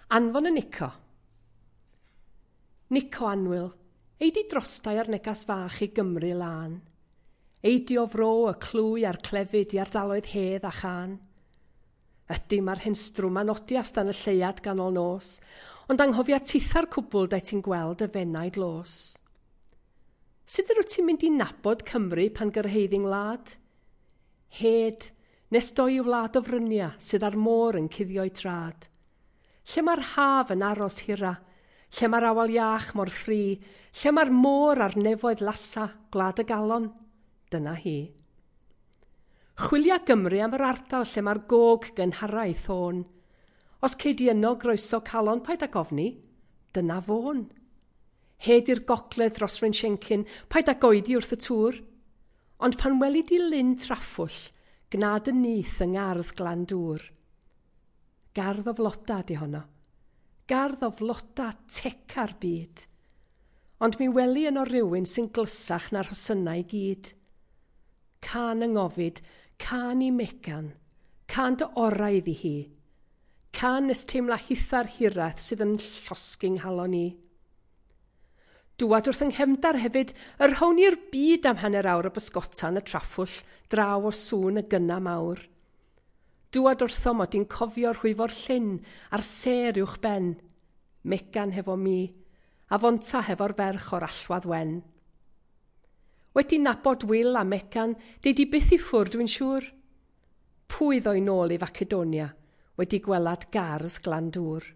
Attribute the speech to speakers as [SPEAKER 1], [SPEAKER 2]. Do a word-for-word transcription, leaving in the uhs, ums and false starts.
[SPEAKER 1] Anfon y Nico. Nico annwyl, ei di drostai ar negas fach i Gymru lân. Ei di o fro y clwy a'r clefyd i ardaloedd hedd a chân. Ydy mae'r hen strwm anodias dan y lleuad ganol nos, ond anghofia titha'r cwbl dae ti'n gweld y fenai glos. Sut yr wyt ti'n mynd i nabod Cymru pan gyrhaeddi'n wlad? Hed, nes doi i wlad o frynia sydd ar môr yn cuddio'i trad. Lle mae'r haf yn aros hira, lle mae'r awel iach mor ffri, lle mae'r môr a'r nefoedd lasa, gwlad y galon, dyna hi. Chwilia Gymru am yr ardal lle mae'r gog gynhara ei thôn. Os cei di yno groeso calon paid ag ofni, dyna fôn. Hed i'r gogledd dros Fryn paid ag oedi wrth y tŵr. Ond pan weli di lyn traffwll, gnad y nyth yng ngardd glan dŵr. Gardd o floda di honno. Gardd o floda teca'r byd. Ond mi weli yno rywun sy'n glysach na'r rhosynnau i gyd. Cân yng ngofid, cân i Megan, cân dy orau iddi hi. Cân nes teimla hitha'r hiraeth sydd yn llosgi nghalon i. Dŵad wrth yng nghefndar hefyd, yr rhown i'r byd am hanner awr o bysgota yn y traffwll, draw o sŵn y gynna mawr. Dŵad wrtho mod i'n cofio rhwyfo'r llyn a'r sêr uwch ben. Megan hefo mi, a fonta hefo'r ferch o'r allwadd wen. Wedi nabod Will a Megan, deud i byth i ffwrdd dwi'n siŵr. Pwy ddoi nôl i Facedonia, wedi gwelad gardd Glandŵr.